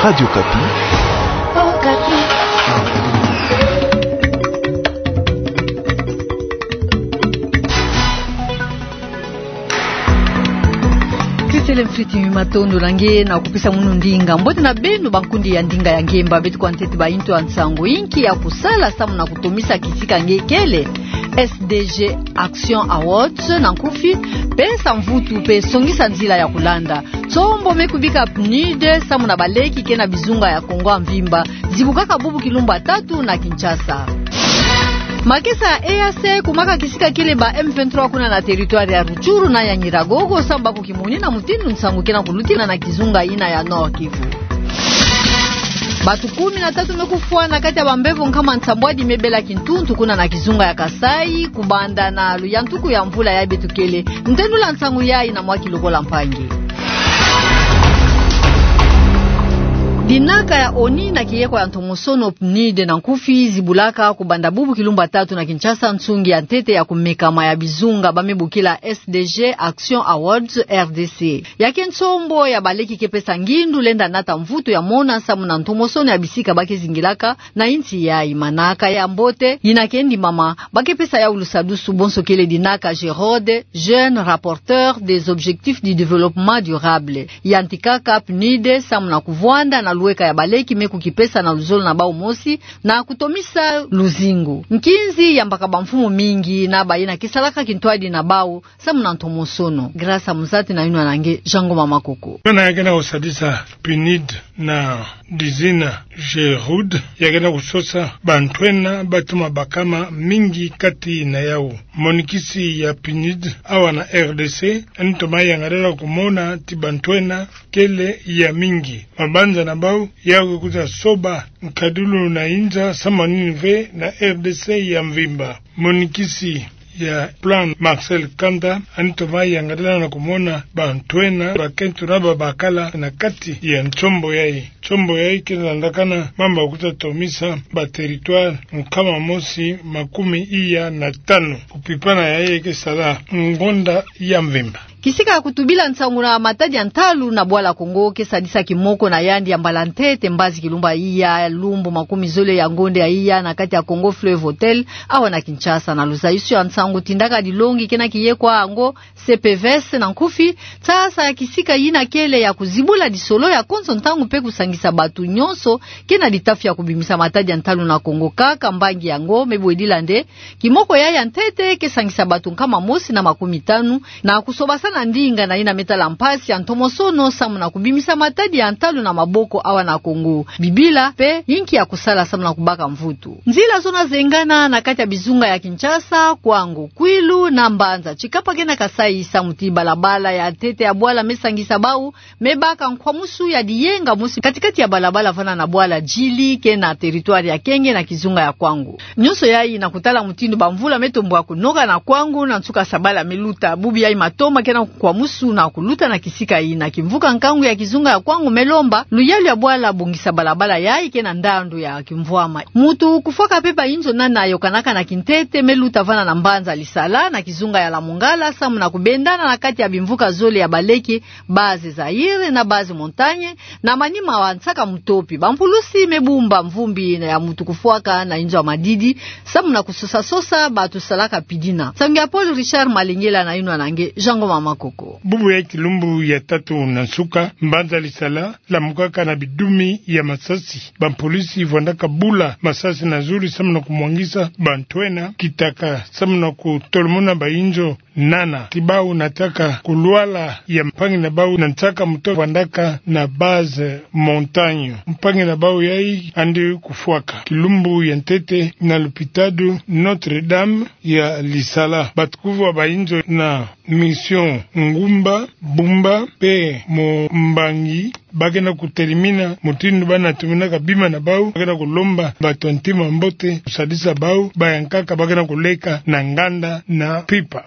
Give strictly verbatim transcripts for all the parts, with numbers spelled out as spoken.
Radio Okapi. Tetele mfiti, matondo na nge na kupesa munu ndinga. Mbote na beno bankundi ya ndinga ya ngemba. Beto kwa ntete baintu ya nsangu inki ya kusala samu na kutomisa kisika nge kele S D G Action Awards na nkufi, pesa mvutu pe songisa nzila ya kulanda. Nsombo me kubika PNUD samu na baleki ke na bizunga ya Kongo ya mvimba zibukaka bubu kilumbu ya tatu na Kinshasa. Makesa ya E A C kumaka kisika kele ba M vingt-trois kuna na territoire ya Rutshuru na ya Nyiragongo, samu ba kukimuni na mutindu nsangu ke na kulutina na kizunga yina ya Nord-Kivu. Batu kumi na tatu me kufwa na kati ya bambevo nkama nsambwadi me bela kintuntu kuna na kizunga ya Kasaï, kubanda na luyantuku ya mvula ya beto kele. Ntendu la nsangu yayi na Mwaki Lokola Mpangi. Dinaka ya ONI na kiyeko ya ntomosono PNUD na nkufi zibulaka kubanda bubu kilumbu ya tatu na Kinshasa nsungi ya ntete ya kumekama ya bizunga ba me bokila S D G Action Awards R D C. Ya ke nsombo ya baleki ke pesa ngindu lenda nata mvutu ya mona samu na ntomosono ya bisika ba ke zingilaka na insi yayi. Manaka ya mbote yina ke ndimama, ba ke pesa yawu lusadusu bonso kele dinaka JROD, Jeune Rapporteur des Objectifs du Développement Durable. Yantikaka PNUD samu na kuvwanda na luweka ya baleki me kukipesa na luzolo na bawu mosi na kutomisa luzingu. Nkinzi yambaka bamfumu mingi na bayina ke salaka kintwadi na bawu samu na ntomosono. Grâce Muzati na yinwa na nge, Jean Ngoma Makoko. Yona ya ke na kusadisa PNUD na dizina JROD, ya ke na kusosa bantwenya ba toma bakama mingi kati na yawu. Monikisi ya PNUD awa na R D C, ani toma yangalala kumona ti bantwenya kele ya mingi. Mabanza na bawu ya ke kwiza soba nkadilu na inza samu na nini ve na R D C ya mvimba. Monikisi ya PLAN, Marcel Kanda, ani toma yangalala na kumona bantwenya bakento na babakala na kati ya nsombo yayi. Nsombo yayi ke landakana mamba kwiza tomisa ba territoire nkama mosi makumi iya na tanu. Kupipana yayi ke sala ngonda ya mvimba. Kisika ya kutubila nsangu na matadi ya ntalu na Bwala Kongo ke sadisa kimoko na yandi ya mbala ntete mbazi kilumbu ya iya, lumbu makumi zole ya ngonda ya iya, na kati ya Congo Fleuve Hotel, awa na Kinshasa. Na luzayusu ya nsangu tindaka dilongi ke na kiyeko yango, C P V S na nkufi, nsasa ya kisika yina kele ya kuzibula disolo ya konso ntangu mpe kusangisa batu nyonso ke na ditafi ya kubimisa matadi ya ntalu na Kongo. Kaka mbangi yango me bwedila nde kimoko yayi ya ntete ke sangisa batu nkama mosi na makumi tanu na kusobasana ndinga na yina me tala mpasi ya ntomosono samu na kubimisa matadi ya ntalu na maboko awa na Kongo. Bibila mpe yinki ya kusala samu na kubaka mvutu. Nzila zona zengana na kati ya bizunga ya Kinshasa, Kwango, Kwilu na Mbanza. Tshikapa ke na Kasaï samu ti balabala ya ntete ya bwala me sangisa bawu me baka nkwamusu ya diyenga mosi kati-kati ya balabala vanda na bwala Djili ke na territoire ya Kenge na kizunga ya Kwango. Nyonso yayi na kutala mutindu bamvula me tombwa kunoka na Kwango na nsuka sabala me luta. Bubu yayi matoma ke na nkwamusu na kuluta na kisika yina. Kimvuka nkangu ya kizunga ya Kwango me lomba luyalu ya bwala bongisa balabala yayi ke na ndandu ya kimvwama. Mutu kufwaka mpe bayinzo nani ayokanaka na kintete me luta vanda na Mbanza Lisala na kizunga ya Lamongala samu na kubendana na kati ya bimvuka zole ya baleki, Base Zaïre na Base Montagne, na manima wa nsaka mutopi. Bampulusi me bumba mvumbi ya mutu kufwaka na inzo ya madidi samu na kusosa-sosa batu salaka pidina. Nsangu ya Paul Richard Malengela na yinwa na nge, Jean Ngoma Makoko. Bubu ya kilumbu ya tatu na nsuka, Mbanza Lisala lamukaka na bidumi ya masasi. Bampulusi vwandaka bula masasi na zulu samu na kumwangisa bantwenya, kitaka samu na kutolomona bayinzo nana ti bawu nataka kulwala ya mpangi na bawu na nsaka mutopi vwandaka na Base Montagne. Mpangi na bawu yayi yandi kufwaka. Kilumbu ya ntete na lupitalu Notre-Dame ya Lisala, batu kuvwa bayinzo na Mission Ngumba, Bumba mpe Mumbangi ba ke na kutelimina mutindu ba na tuminaka bima na bawu. Ba ke na kulomba batu ya ntima mbote kusadisa bawu, bayankaka ba ke na kuleka na nganda na mpimpa.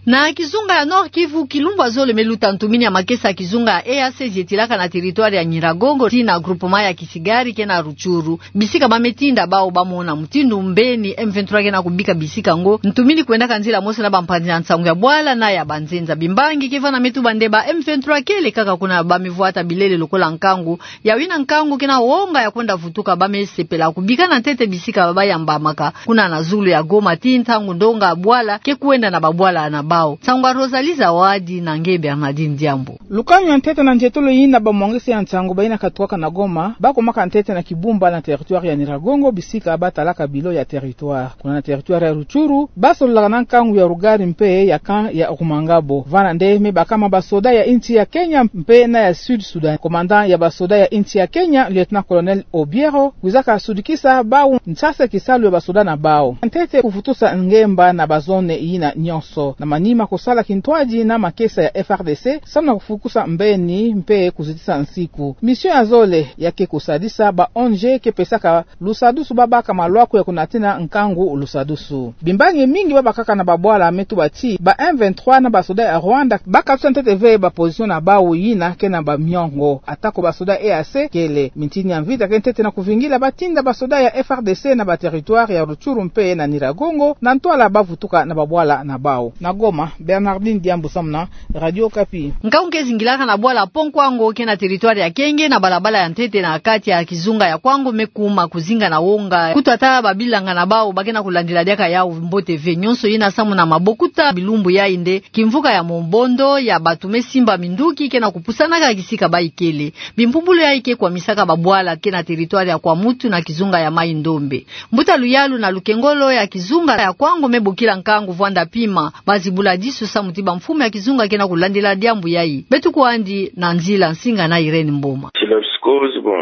Na kizunga ya Nord-Kivu, kilumbu ya zole me luta ntumini ya makesa ya kizunga ya E A C ziyetilaka na territoire ya Nyiragongo tii na groupement ya Kisigari ke na Rutshuru. Bisika ba me tinda bau ba mona mutindu mbeni M vingt-trois ke na kubika bisika ngo ntumini kwendaka nzila mosi na bampanzi ya nsangu ya bwala na ya banzenza. Bimbangi ke vana me tuba nde ba M vingt-trois kele kaka kuna, ba me vwata bilele lokola nkangu. Ya wina nkangu ke na wonga ya kwenda vutuka, ba me sepela kubika na ntete bisika ba yambamaka kuna na zulu ya Goma tii ntangu ndonga ya bwala ke kwenda na babwala na bau. Nsangu ya Rosalie Zawadi na nge Bernardine Diambu. Lukanu ya ntete na nzietolo yina bamwangisi ya nsangu bayina katukaka na Goma, ba kumaka ntete na Kibumba na territoire ya Nyiragongo, bisika ba talaka bilo ya territoire. Kuna na territoire ya Rutshuru, ba sololaka na nkangu ya Rugari mpe ya camp ya Rumangabo. Vana nde me bakama basoda ya insi ya Kenya mpe na ya Sud Sudan. Commandant ya basoda ya insi ya Kenya, Lieutenant-colonel Obiero, kwizaka sudikisa bau nsase kisalu ya basoda na bau. Ntete kuvutusa ngemba na ba zone yina nyonso. Na manima kusala kintwadi na makesa ya F R D C, samu na kufukusa mbeni mpe kuzitisa nsiku. Mission ya zole ya ke kusadisa ba O N G ke pesaka lusadusu ba baka malwaku ya kunatina nkangu lusadusu. Bimbangi mingi ba bakaka na babwala me tuba ti ba M vingt-trois na basoda ya Rwanda ba katusa ntete ve ba position na bau yina ke na bamiongo. Atako basoda E A C kele, mintini ya mvita ke ntete na kuvingila ba tinda basoda ya F R D C na ba territoire ya Rutshuru mpe na Nyiragongo, na ntwala ba vutuka na babwala na bau. Na Goma, Bernardine Diambu samu na Radio Okapi. Nkangu ke zingilaka na bwala Pont Kwango ke na territoire ya Kenge, na balabala ya ntete na kati ya kizunga ya Kwango me kuma kuzinga na wonga. Kutu ata babilanga na bau ba ke na kulandila diaka yau mbote ve. Nyonso yina samu na mabokuta bilumbu yai nde kimvuka ya mombondo ya batu me simba minduki ke na kupusanaka kisika ba ikele. Bimpumbulu yai ke kwamisaka babwala ke na territoire ya Kwamouth na kizunga ya Maï-Ndombe. Mbuta luyalu na lukengolo ya kizunga ya Kwango me bokila nkangu vwanda pima, ba zibula disu samu ti bamfumu ya kizunga ke na kulandila diambu yai. Beto kwandi na nzila nsinga na Irène Mboma.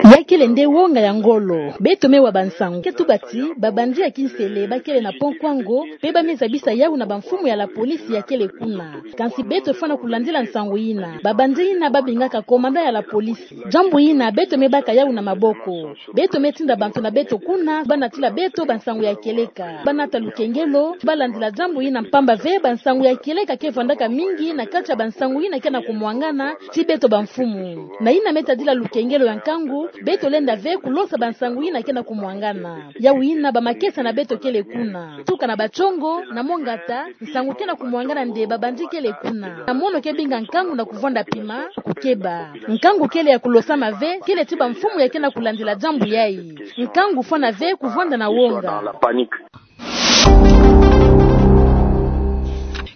Ya kele nde wonga ya ngolo. Beto me wa bansangu ke tuba ti ba bandit ya kinsele ba kele na Pont Kwango, mpe ba me zabisa yau na bamfumu ya la police ya kele kuna. Kansi beto fwana kulandila nsangu yina. Ba bandit yina ba bingaka commandant ya la police. Diambu yina beto me baka yau na maboko. Beto me tinda bantu na beto kuna, ba natila beto bansangu ya kieleka. Ba nata lukengelo, ba landila diambu yina mpamba ve bansangu ya kieleka ke vwandaka mingi na kati ya bansangu yina ke na kumwangana ti beto bamfumu. Na yina me tadila lukengelo ya nkangu, beto lenda ve kulosa bansangu yina ke na kumwangana. Yau yina bamakesa na beto kele kuna. Tuka na Bacongo, na Mongata, nsangu ke na kumwangana nde ba bandit kele kuna. Na mono ke binga nkangu na kuvwanda pima, kukeba. Nkangu kele ya kulosama ve, kele ti bamfumu ya ke na kulandila diambu yai. Nkangu fwana ve kuvwanda na wonga.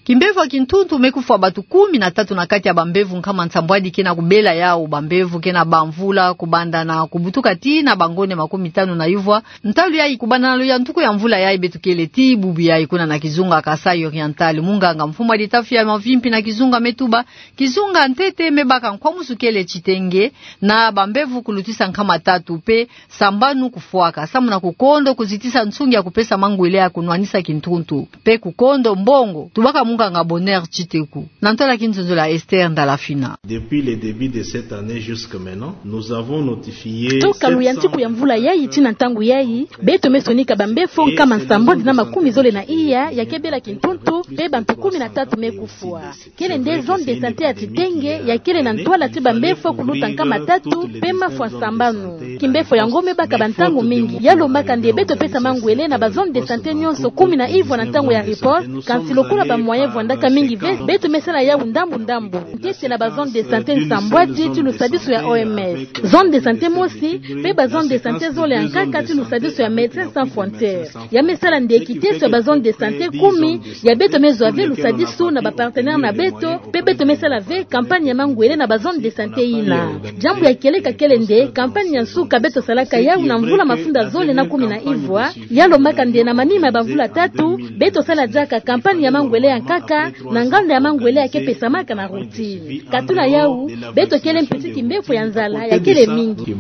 Kimbevo ya kintuntu me kufwa batu kumi na tatu na kati ya bambevo nkama nsambwadi ke na kubela yau. Bambevo ke na bamvula kubanda na kubutuka tii na bangonde makumi tanu na yuvwa. Ntalu yai kubanda na luyantuku ya mvula yai beto kele tii bubu yai kuna na kizunga Kasaï Oriental. Munganga mfumu wa litafi ya mavimpi na kizunga me tuba, kizunga ntete me baka nkwamusu kele titengue, na bambevo kulutisa nkama tatu mpe sambanu kufwaka, samu na kukondo kuzitisa nsungi ya kupesa mangwele ya kunwanisa kintuntu, mpe kukondo mbongo. Tubaka munganga Bonheur Tshiteku. Na ntwala kinzonzolo ya Esther Ndalafina. Depuis le début de cette année jusque maintenant, nous avons notifié... Toka luyantiku ya mvula yai tii na ntangu yai, beto me sonika bambefo nkama nsambwadi na makumi zole na iya ya ke bela kintuntu, mpe bantu kumi na tatu me kufwa. Kele nde zone de santé ya titengue ya kele na ntwala ti bambefo kuluta nkama tatu mpe mafwa sambanu. Kimbefo yango me baka bantangu mingi. Ya lombaka nde beto pesa mangwele na ba zone de santé nyonso kumi na ivwa na ntangu ya riposte, kansi lokola ba moyen vwandaka mingi ve, beto me sala yau ndambu ndambu. Ntete na ba zone de santé nsambwadi ti lusadisu ya O M S. Zone de santé mosi, mpe ba zone de santé zole ya nkaka ti lusadisu ya Médecins Sans Frontières. Ya me sala nde kiteso ya ba zone de santé kumi, ya beto me zwa ve lusadisu na ba partenaires na beto, mpe beto me sala ve campagne ya mangwele na ba zone de santé yina. Diambu ya kieleka kele nde campagne ya nsuka beto salaka yau na mvula mafunda zole na kumi na ivwa, ya lombaka nde na manima ya bamvula tatu, beto sala diaka campagne ya mangwele ya nkaka, na nganda ya mangwele ya ke pesamaka na routine. Katula yau, beto kele mpe ti kimbefo ya nzala ya kele mingi.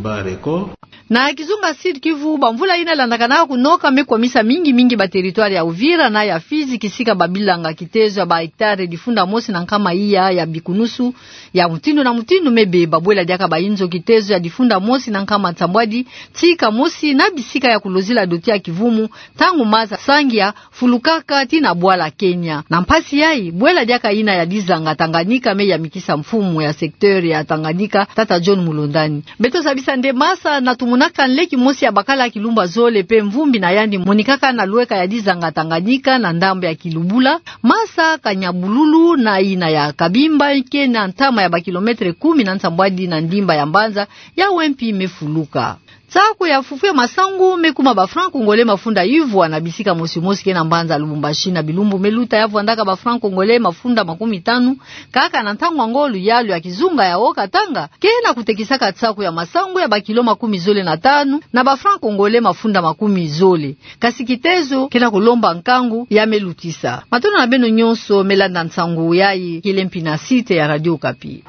Na kizunga Sud-Kivu, bamvula yina landaka na kunoka me kwamisa mingi mingi ba territoire ya Uvira na ya Fizi, kisika babilanga kitezo ya ba hectare difunda mosi na nkama iya ya bikunusu ya mutindu na mutindu me beba. Bwela diaka ba inzo kitezo ya difunda mosi na nkama nsambwadi, tika mosi na bisika ya kulozila doti ya kivumu, ntangu maza sangi ya fulukaka tii na bwala Kenya. Na mpa Kasi yayi, bwela diaka ina ya dizanga Tanganyika me yamikisa mfumu ya secteur ya Tanganyika, tata John Mulondani. Beto zabisa nde masa na tumunaka nleki mosi ya bakala kilumbu zole pe mvumbi na yandi monikaka na lweka ya dizanga Tanganyika na ndambu ya kilubula, masa ka nyabululu na ina ya Kabimba, ke na ntama ya ba kilomètre kumi na nsambwadi na ndimba ya mbanza, ya wempi mefuluka. Nsaku ya fufu ya masangu mekuma ba francs congolais mafunda ivwa na bisika mosi mosi ke na mbanza Lubumbashi na bilumbu meluta, ya vwandaka ba francs congolais mafunda makumi tanu, kaka na ntangu ango luyalu ya kizunga ya Haut-Katanga ke na kutekisaka nsaku ya masangu ya ba kilo makumi zole na tanu na ba francs congolais mafunda makumi zole. Kasi kitezo ke na kulomba nkangu ya melutisa. Matondo na beno nyonso melanda nsangu yayi, Kilempina Site ya Radio Okapi.